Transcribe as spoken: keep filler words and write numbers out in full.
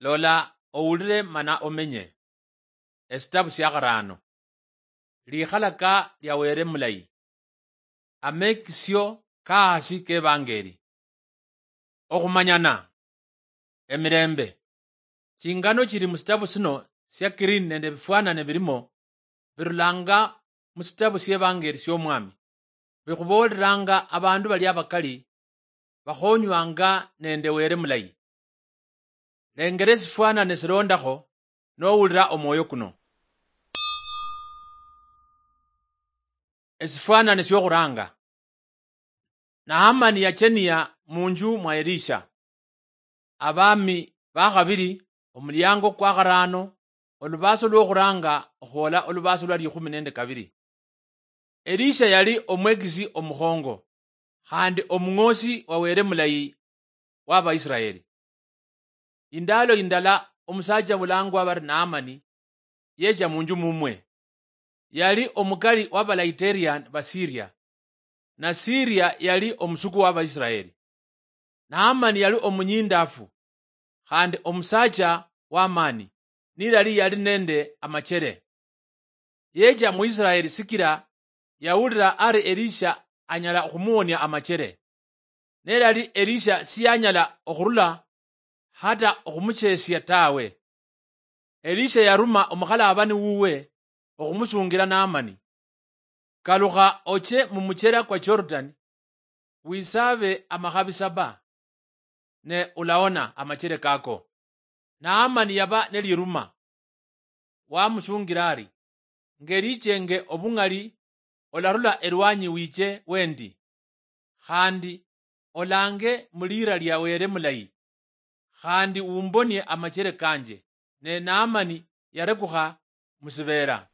Lola, owulire mana omenye. Esitabu sia kharaano. Likhalaka lia Wele mulayi. Amekisio kahasi k'Evangeli. Okhumanyana. Emirembe. Chingano chili musitabu sino sia Kirini nende ebifwanane bilimo, birulanga musitabu sievangeli siomwami, bikhuboolelanga abandu bali abakali bakhonywanga nende Wele mulayi. Lengera esifwanane silondakho nowulira omwoyo kuno. Esifwanane siokhuranga. Naamani yachenia munju mwa Elisha. Abaami bakhabili, omuliango kwa kharaano, olubaaso lwokhuranga okhwola olubaaso lwa likhumi nende kabili. Elisha yali omwekisi omukhongo, khandi omung'osi wa Wele mulayi wa Baisiraeli. Indaalo indala omusaacha mulangwa bari Naamani yecha munju mumwe. Yali omukali wa Balaiterian ba Siria, na Siria yali omusuku wa Baisiraeli. Naamani yali omunyindafu, khandi omusaacha w'amaani, nilali yali nende amachere. Yecha mu Isiraeli sikila yawulira ari Elisha anyala okhumuwonia amachere. Nelali Elisha siyanyala okhurula hata okhumuchesia tawe. Elisha yaruma omukhalabani wuwe okhumusungira Naamani, "Kalukha oche mumuchera kwa Jordan, wisabe amakhabi saba, ne ulaona amachere kako." Naamani yaba neliruma, wamusungira ari, "Ngelichenge obung'ali olarula elwanyi wiche wendi, khandi olange muliira lia Wele mulayi, khandi umbonie amachere kanje." Ne Naamani yarekukha musibeera.